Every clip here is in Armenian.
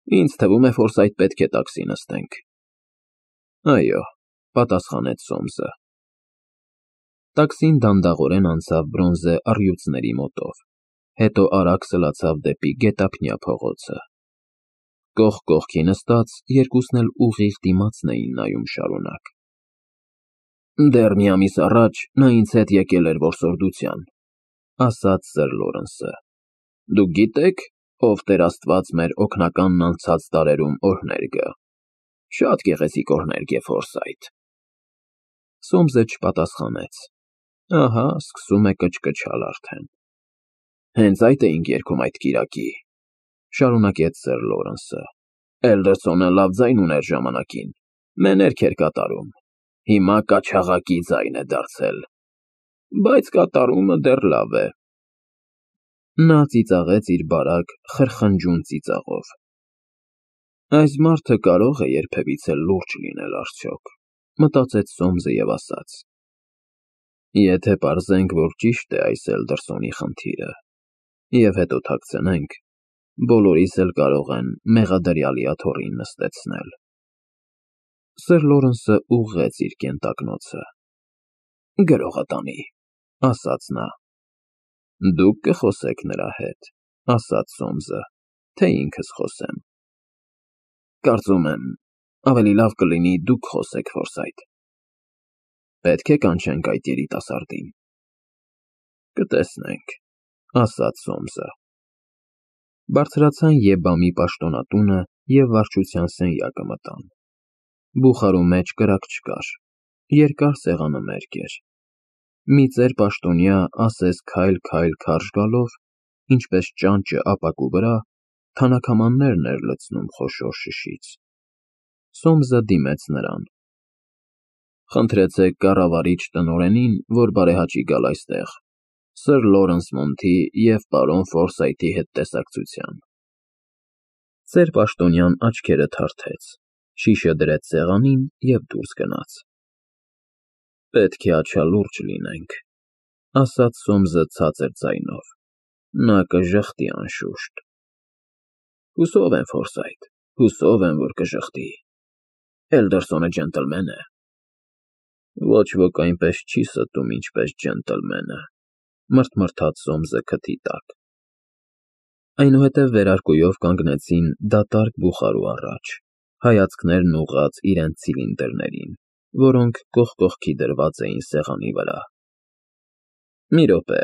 Ինձ թվում է Ֆորսայթ պետք է տաքսի նստենք։ Այո, պատասխանեց Սոմսը։ Տաքսին դանդաղորեն անցավ բրոնզե առյուծների մոտով, հետո արագ սլացավ դեպի գետափնյա փողոցը։ Կողք կողքի նստած, երկուսն էլ ուղիղ դիմացն էին նայում շարունակ։ Դեռ մի ամիս առաջ նա ինձ հետ եկել էր որսորդության, ասաց Սըր Լորենսը։ Դուք գիտեք, ով Տեր Աստված մեր օգնականն անցած տարերում օրհներ գա։ Շատ գեղեցիկ օրհներ գե Ֆորսայթ։ Սոմսը չպատասխանեց։ Ահա, սկսում է կչկչալ արդեն։ Հենց այդ էինք երգում այդ կիրակի, շարունակեց Սըր Լորենսը։ Էլդերսոնը լավ ձայն ուներ ժամանակին, մեներք էր կատարում, հիմա կաչաղակի ձայն է դարձել, բայց կատարումը դեռ լավ է։ Նա ծիծաղեց իր բարակ, խրխնջուն ծիծաղով։ Այս մարդը կարող է երբևիցե լուրջ լինել արդյոք, մտածեց Սոմսը և ասաց. Եթե պարզենք, որ ճիշտ է այս Էլդերսոնի խնդիրը, և հետո թաքցնենք, բոլորիս էլ կարող են մեղադրյալի աթոռին նստեցնել։ Սըր Լորենսը ուղղեց իր կենտակնոցը։ Գրողը տանի, ասաց նա։ Դուք կխոսեք նրա հետ, ասաց Սոմսը, թե ինքս խոսեմ։ Կարծում եմ, ավելի լավ կլինի դուք խոսեք, Ֆորսայթ։ Պետք է կանչենք այդ երիտասարդին։ Կտեսնենք, ասաց Սոմսը։ Բարձրացան Եբամի պաշտոնատունը և վարչության սենյակը մտան։ Բուխարու մեջ կրակ չկար, երկար սեղանամերկ էր։ Մի ծեր պաշտոնյա ասես քայլ-քայլ քարշ գալով, ինչպես ճանճը ապակու վրա, թանաքամաններն էր լցնում խոշոր շշից։ Սոմսը դիմեց նրան։ Խնդրեցեք կառավարիչ տնօրենին, որ բարեհաճի գալ այստեղ, Սըր Լորենս Մոնթի և պարոն Ֆորսայթի հետ տեսակցության։ Ծեր պաշտոնյան աչքերը թարթեց, շիշը դրեց սեղանին և դուրս գնաց։ Պետք է աչալուրջ լինենք, ասաց Սոմսը ցածր ձայնով։ Նա կժխտի անշուշտ։ Հուսով եմ, Ֆորսայթ, հուսով եմ, որ կժխտի։ Էլդերսոնը ջենտլմեն է։ Ոչ ոք այնպես չի ստում, ինչպես ջենտլմենը, մռթմռթաց Սոմսը քթի տակ։ Այնուհետև վերարկուով կանգնեցին դատարկ բուխարու առաջ, հայացքներն ուղղած իրենց ցիլինդրներին, որոնք կողք կողքի դրված էին սեղանի վրա։ Մի րոպե,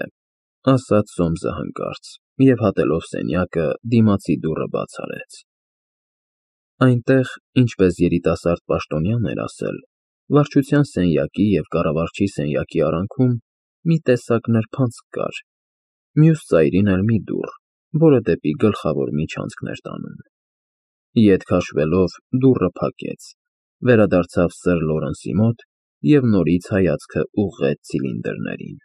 ասաց Սոմսը հանկարծ, և հատելով սենյակը, դիմացի դուռը բաց արեց։ Այնտեղ, ինչպես երիտասարդ պաշտոնյան էր ասել, վարչության սենյակի և կառավարչի սենյակի արանքում մի տեսակ նրբանցք կար, մյուս ծայրին էլ մի դուռ, որը դեպի գլխավոր միջանցքն էր տանում։ Ետ քաշվելով դուռը փակեց, վերադարձավ Սըր Լորենսի մոտ և նորից հայացքը ուղղեց ցիլինդրներին։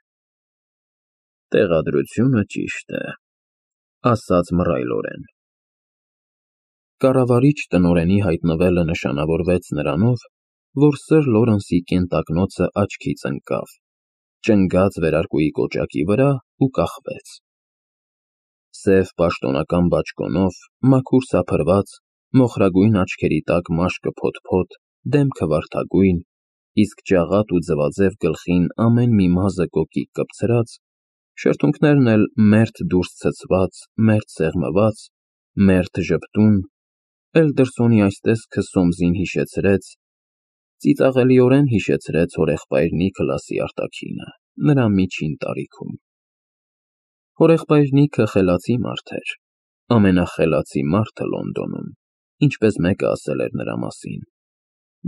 Տեղադրությունը ճիշտ է, ասաց մռայլորեն։ Կառավարիչ տնօրենի հայտնվելը նշանավորվեց նրանով, որ Սըր Լորենսի կենտակնոցը աչքից ընկավ, ճնգաց վերարկուի կոճակի վրա ու կախվեց։ Սև պաշտոնական բաճկոնով, մաքուր սափրված, մոխրագույն աչքերի տակ մաշկը փոթփոթ, դեմքը վարդագույն, իսկ ջաղատ ու ձվաձև գլխին ամեն մի մազը կոկիկ կպցրած, շրթունքներն էլ մերթ դուրս ցցված, մերթ սեղմված, մերթ ժպտուն, Էլդերսոնի այս տեսքը Սոմսին հիշեցրեց, ծիծաղելիորեն հիշեցրեց հորեղբայր Նիքլասի արտաքինը, նրա միջին տարիքում։ Հորեղբայր Նիքը խելացի մարդ էր, ամենախելացի մարդը Լոնդոնում, ինչպես մեկը ասել էր նրա մասին,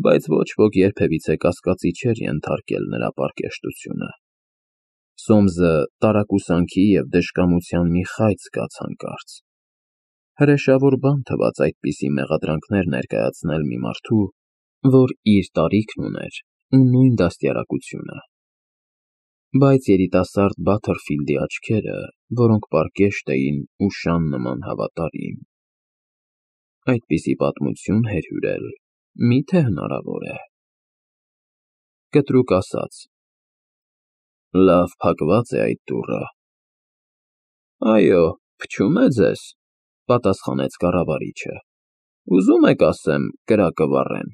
բայց ոչ ոք երբևիցե կասկածի չէր ենթարկել նրա պարկեշտությունը։ Սոմսը տարակուսանքի և դժկամության մի խայծ զգաց հանկարծ։ Հրեշավոր բան թվաց այդպիսի մեղադրանքներ ներկայացնել մի մարդու, որ իր տարիքն ուներ ու նույն դաստիարակությունը։ Բայց երիտասարդ Բաթերֆիլդի աչքերը, որոնք պարկեշտ էին ու շան նման հավատարիմ։ Այդպիսի պատմություն հերհյուրել մի՞թե հնարավոր է։ Կտրուկ ասաց. Լավ փակված է այդ դուռը։ Այո, փչում է ձեզ, պատասխանեց կառավարիչը։ Ուզում եք ասեմ կրակը վառեն։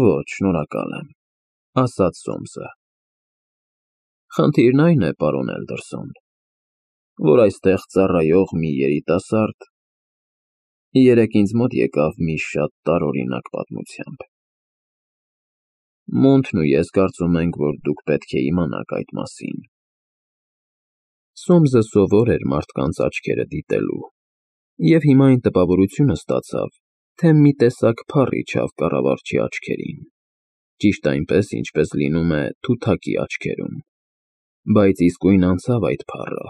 Ոչ, շնորհակալ եմ, ասաց Սոմսը։ Խնդիրն այն է, պարոն Էլդերսոն, որ այստեղ ծառայող մի երիտասարդ երեկ ինձ մոտ եկավ մի շատ տարօրինակ պատմությամբ։ Մոնթն ու ես կարծում ենք, որ դուք պետք է իմանաք այդ մասին։ Սոմսը սովոր էր մարդկանց աչքերը դիտելու, և հիմա այն տպավորությունը ստացավ, թե մի տեսակ փառ իջավ կառավարչի աչքերին, ճիշտ այնպես, ինչպես լինում է թութակի աչքերում, բայց իսկույն անցավ այդ փառը,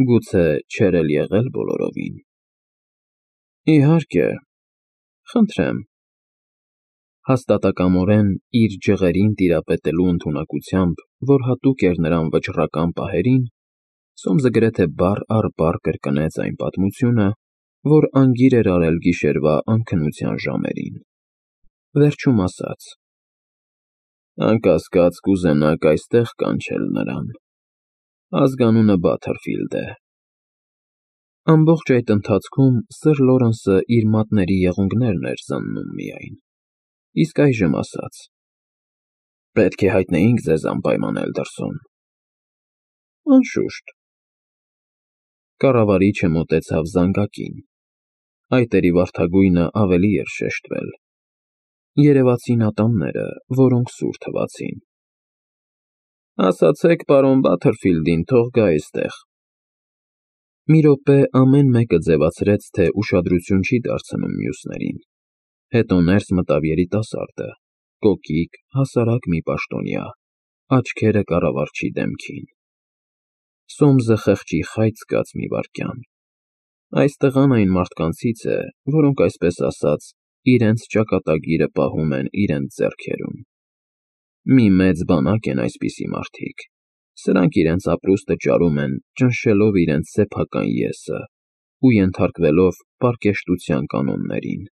գուցե չէր էլ եղել բոլորովին։ Իհարկե, խնդրեմ, հաստատակամորեն իր ջղերին տիրապետելու ընդունակությամբ, որ հատուկ էր նրան վճռական պահերին, Սոմսը գրեթե բառ առ բառ կրկնեց այն պատմությունը, որ անգիր էր արել գիշերվա անքնության ժամերին։ Վերջում ասաց. Անկասկած կուզենաք այստեղ կանչել նրան։ Ազգանունը Բաթերֆիլդ է։ Ամբողջ այդ ընթացքում Սըր Լորենսը իր մատների եղունգներն էր զննում միայն, իսկ այժմ ասաց. Պետք է հայտնեինք ձեզ անպայման, Էլդերսոն։ Անշուշտ։ Կառավարիչը մոտեցավ զանգակին։ Այտերի վարդագույնը ավելի էր շեշտվել։ Երևացին ատամները, որոնք սուր թվացին։ Ասացեք պարոն Բաթերֆիլդին, թող գա այստեղ։ Մի րոպե ամեն մեկը ձևացրեց, թե ուշադրություն չի դարձնում մյուսներին։ Հետո ներս մտավ երիտասարդը, կոկիկ, հասարակ մի պաշտոնյա, աչքերը կառավարչի դեմքին։ Սոմսը խեղճի խայծ զգաց մի վայրկյան։ Այս տղան այն մարդկանցից է, որոնք, այսպես ասած, իրենց ճակատագիրը պահում են իրենց ձեռքերում։ Մի մեծ բանակ են այսպիսի մարդիկ։ Սրանք իրենց ապրուստը ճարում են, ճնշելով իրենց սեփական եսը ու ենթարկվելով պարկեշտության կանոններին։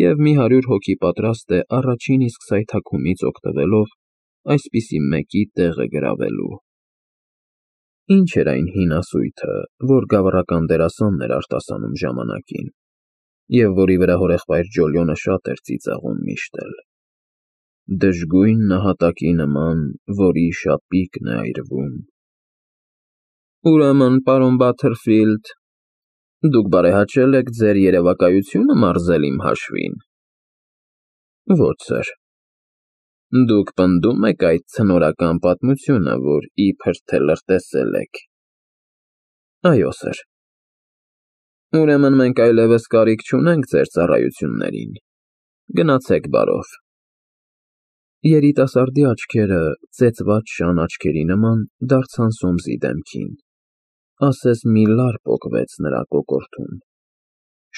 Եվ մի 100 հոգի պատրաստ է առաջին իսկ սայթաքումից օգտվելով այսպիսի մեկի տեղը գրավելու։ Ինչ էր այն հին ասույթը, որ գավառական դերասանն էր արտասանում ժամանակին, և որի վրա հորեղբայր Ջոլիոնը շատ էր ծիծաղում միշտ էլ. դժգույն նահատակի նման, որի շապիկն է այրվում։ Ուրեմն, պարոն Բաթերֆիլդ, դուք բարեհաճել եք ձեր երևակայությունը մարզել իմ հաշվին։ Ոչ, սըր։ Դուք պնդում եք այդ ցնորական պատմությունը, որ իբր թե լրտեսել եք։ Այո, սըր։ Ուրեմն մենք այլևս կարիք չունենք ձեր ծառայություններին։ Գնացեք բարով։ Երիտասարդի աչքերը, ծեծված շան աչքերի նման, դարձան Սոմսի դեմքին, ասես մի լար պոկվեց նրա կոկորդում։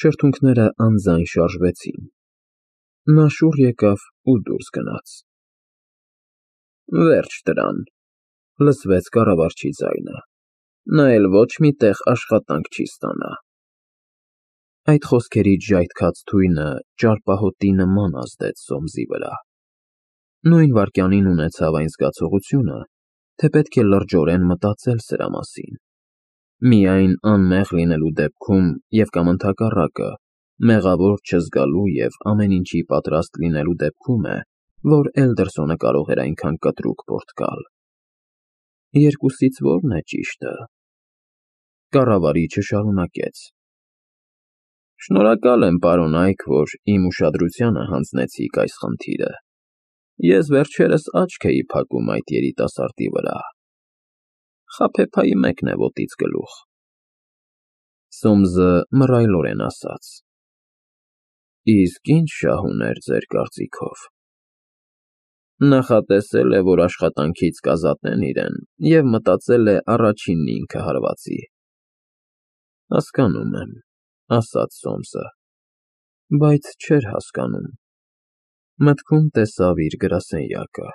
Շրթունքները անձայն շարժվեցին։ Նա շուռ եկավ ու դուրս գնաց։ Վերջ դրան, լսվեց կառավարչի ձայնը։ Նա էլ ոչ մի տեղ աշխատանք չի ստանա։ Այդ խոսքերից ժայթքած թույնը ճարպահոտի նման ազդեց Սոմսի վրա։ Նույն վայրկյանին ունեցավ այն զգացողությունը, թե պետք է լրջորեն մտածել սրա մասին։ Միայն անմեղ լինելու դեպքում և կամ ընդհակառակը, մեղավոր չզգալու և ամեն ինչի պատրաստ լինելու դեպքում է, որ Էլդերսոնը կարող էր այնքան կտրուկ պոռթկալ։ Երկուսից ո՞րն է ճիշտը։ Կառավարիչը շարունակեց. Շնորհակալ եմ, պարոն Այք, որ իմ ուշադրությանը հանձնեցիք այս խնդիրը։ Ես վերջերս աչք էի փակում այդ երիտասարդի վրա։ Խաբեբայի մեկն է ոտից գլուխ։ Սոմսը մռայլորեն ասաց. Իսկ ինչ շահ ուներ ձեր կարծիքով։ Նախատեսել է, որ աշխատանքից կազատեն իրեն, և մտածել է առաջինն ինքը հարվածի։ Հասկանում եմ, ասաց Սոմսը, բայց չէր հասկանում։ Մտքում տեսավ իր գրասենյակը,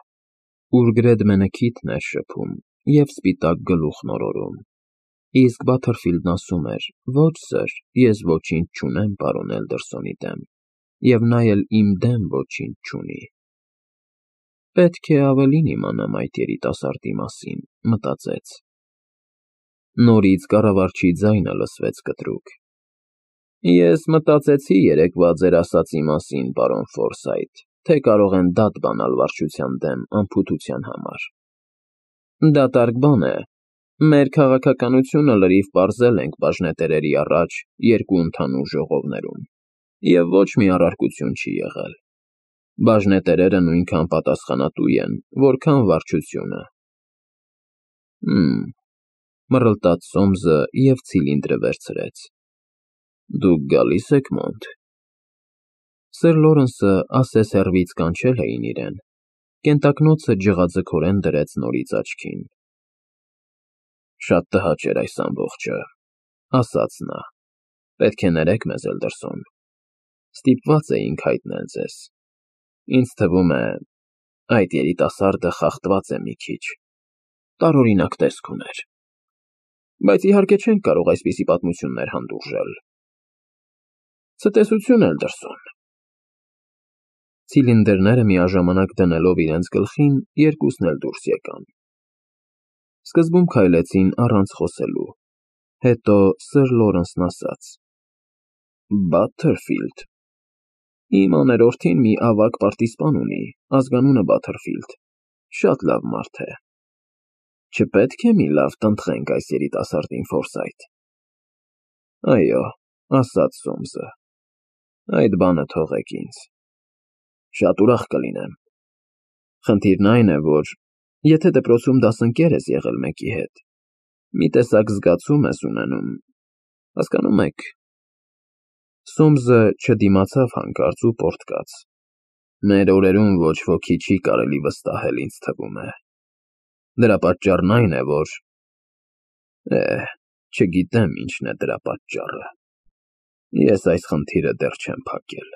ուր գրեդմենը քիթն էր շփում և սպիտակ գլուխն օրորում, իսկ Բաթերֆիլդն ասում էր. ոչ, սըր, ես ոչինչ չունեմ պարոն Էլդերսոնի դեմ, և նա էլ իմ դեմ ոչինչ չունի։ Պետք է ավելին իմանամ այդ երիտասարդի մասին, մտածեց։ Նորից կառավարչի ձայնը լսվեց կտրուկ։ Ես մտածեցի երեկվա ձեր ասածի մասին, պարոն Ֆորսայթ, թե կարող են դատ բանալ վարչության դեմ անփութության համար։ Դատարկ բան է։ Մեր քաղաքականությունը լրիվ պարզել ենք բաժնետերերի առաջ երկու ընդհանուր ժողովներում, և ոչ մի առարկություն չի եղել։ Բաժնետերերը նույնքան պատասխանատու են, որքան վարչությունը։ Մռլտաց Սոմսը և ցիլինդրը վերցրեց։ Դուք գալի՞ս եք մոտ։ Սեր Լորենսը ասես հեռվից կանչել էին իրեն։ Կենտակնոցը ջղաձգորեն դրեց նորից աչքին։ Շատ տհաճ էր այս ամբողջը, ասաց նա։ Պետք է ներեք մեզ, Էլդերսոն։ Ստիպված էինք հայտնել ձեզ։ Ինձ թվում է, այդ երիտասարդը խախտված է մի քիչ։ Տարօրինակ տեսք ուներ։ Բայց իհարկե չենք կարող այսպիսի պատմություններ հանդուրժել։ Ցտեսություն, Էլդերսոն։ Ցիլինդրները միաժամանակ դնելով իրենց գլխին, երկուսն էլ դուրս եկան։ Սկզբում քայլեցին առանց խոսելու, հետո Սր Լորենսն ասաց. Բաթերֆիլդ։ Իմ աներորդին մի ավագ պարտիզպան ունի, ազգանունը Բաթերֆիլդ, շատ լավ մարդ է։ Չպետք է մի լավ տնտղենք այս երիտասարդին, Ֆորսայթ։ Այո, ասաց Սոմսը, այդ բանը թողեք ինձ։ Շատ ուրախ կլինեմ։ Խնդիրն այն է, որ եթե դպրոցում դասընկեր ես եղել մեկի հետ, մի տեսակ զգացում ես ունենում, հասկանում եք։ Սոմսը չդիմացավ հանկարծ ու պոռթկաց։ Մեր օրերում ոչ ոքի չի կարելի վստահել, ինձ թվում է։ Դրա պատճառն այն է, որ… չգիտեմ ինչն է դրա պատճառը։ Ես այս խնդիրը դեռ չեմ փակել։